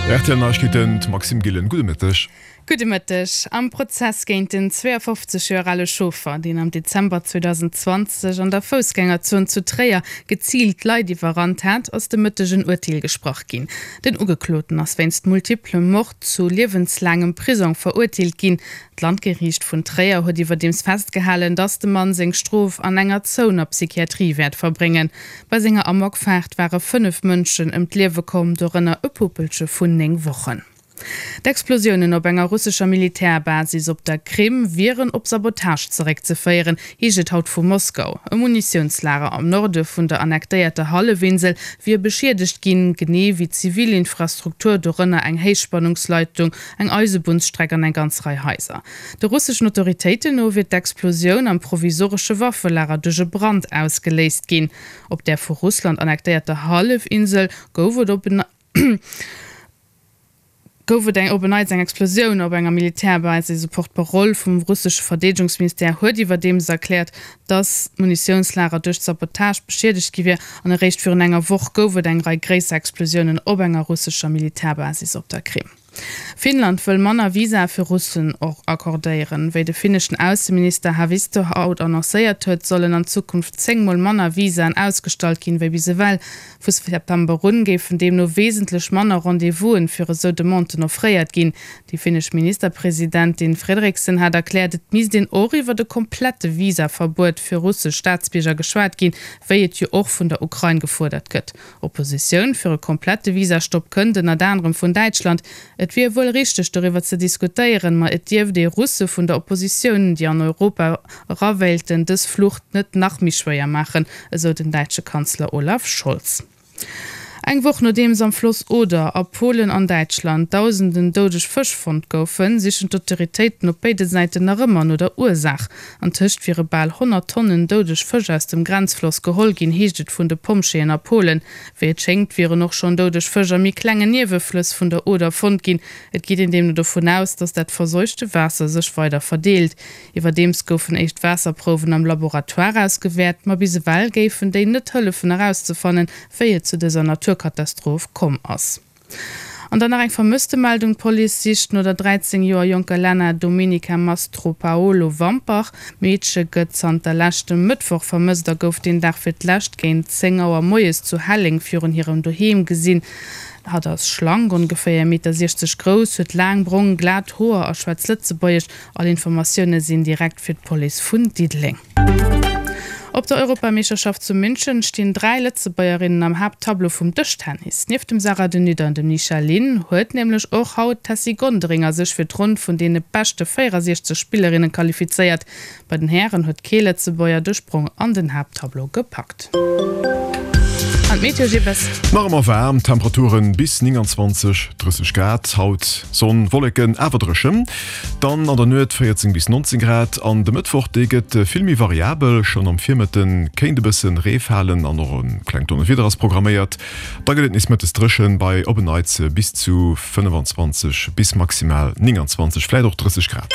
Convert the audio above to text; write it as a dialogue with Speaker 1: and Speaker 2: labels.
Speaker 1: Rtl Neiegkeeten, d'Maxime Gillen, gudde Mëtteg.
Speaker 2: Gudde Mëtteg. Am Prozess géint den 52 Joer ale Chauffer, deen am Dezember 2020 an der Foussgängerzon zu Tréier geziilt Leit iwwerrannt hat, ass de Mëtteg en Urteel gesprach ginn. Den Ugekloten ass wéinst multiplem Mord zu liewenslaangem Prisong verurteelt ginn. D'Landgeriicht vun Tréier huet iwwerdeems festgehalen, datt de Mann seng Strof an enger zouener Psychiatrie wäert verbréngen. Bei senger Amokfaart ware 5 Mënschen ëm d'Liewe komm, dorënner e Puppelche vun 9 Wochen. D'Explosiounen op enger russescher Militärbasis op der Krim wieren op Sabotage zeréckzeféieren, heescht et haut vu Moskau. E Munitiounslager am Norde vun der annektéierter Hallefinsel wier beschiedegt ginn, genee wéi zivil Infrastruktur, dorënner eng Héichspannungsleitung, eng Eisebunnsstreck an eng ganz Rei Haiser. De russeschen Autoritéiten no wier d'Explosioun am provisoresche Waffelager duerch e Brand ausgeléist ginn. Op där vu Russland annektéierter Hallefinsel gouf et op en gouf et eng op en Neits eng Explosioun op enger Militärbasis. E Porte-parole vum russesche Verdeedegungsministère huet iwwerdeems erkläert, datt d'Munitiounslager duerch Sabotage beschiedegt gi wier an eréischt virun enger Woch gouf et eng Rei gréisser Explosiounen op enger russescher Militärbasis op der Krim. Finnland wëll manner Visae fir Russen accordéieren. Wéi de finneschen Ausseminister Haavisto haut annoncéiert huet, sollen an Zukunft 10 mol manner Visaen ausgestallt ginn, wéi bis ewell. Vu September un géifen deemno wesentlech manner Rendez-vousen fir esou Demanden offréiert ginn. Déi finnesch Ministerpresidentin Fredriksen hat erkläert, et misst een och iwwert e komplette Visaverbuet fir russesch Staatsbierger geschwat ginn, wéi et jo och vun der Ukrain gefuerdert gëtt. Oppositioun fir e komplette Visastopp kënnt ënnert anerem vun Däitschland. Et wier wuel richteg doriwwer ze diskutéieren, ma et dierft ee Russe vun der Oppositioun, déi an Europa era wéilten, dës Flucht net nach méi schwéier maachen, esou den däitsche Kanzler Olaf Scholz. Eng Woch nodeems am Floss Oder a Polen an Däitschland dausenden doudeg Fësch fonnt goufen, sichen d'Autoritéiten op béide Säiten nach ëmmer no der Ursaach. Antëscht wiere bal 100 Tonnen doudeg Fësch aus dem Grenzfloss geholl ginn, heescht et vun de Pompjeeën a Polen. Wéi et schéngt, wieren och schonn doudeg Fësch a méi klengen Nieweflëss vun der Oder fonnt ginn. Et geet een deemno dovun aus, datt dat verseuchte Waasser sech weider verdeelt. Iwwerdeems goufen éischt Waasserprouwen am Laboratoire ausgewäert, ma bis ewell géifen déi net hëllefen erauszefannen, wéi et zu dëser Naturkatastroph komm ass. An dann nach eng Vermësstemeldung, D'Police sicht no der 13 Joer jonker Lena Domenica Mastropaolo Wampach. D'Meedche gëtt zanter leschtem Mëttwoch vermësst a gouf deen Dag fir d'lescht géint 10 Auer moies zu Helleng virun hirem Doheem gesinn. Hatt ass schlank, ongeféier 1,60 Meter grouss, huet laang brong, glat Hoer a schwätzt Lëtzebuergesch. All Informatioune sinn direkt fir d'Police vun Diddeleng. Op der Europameeschterschaft zu München stinn 3 Lëtzebuergerinnen am Haapttableau vum Dëschtennis. Nieft dem Sarah de Nutte an dem Nisha Lin huet nämlech och haut d'Tessy Gonderinger sech fir d'Ronn vun deene beschte 64 Spillerinne qualifizéiert. Bei den Hären huet kee Lëtzebuerger de Sprong an den Haapttableau gepackt. An d'Meteo Jibbes.
Speaker 1: Nach ëmmer waarm, Temperaturen bis 29, 30 Grad haut, Sonn, Wolleken, awer dréchen. Dann an der Nuet 14 bis 19 Grad an de Mëttwoch, dee gëtt vill méi variabel. Schonn am Virmëtte kéint e bësse Ree falen an och e klengt Donnerwieder ass programméiert. Da gëtt et nees mëttes dréchen bei op en Neits bis zu 25 bis maximal 29, vläit och 30 Grad.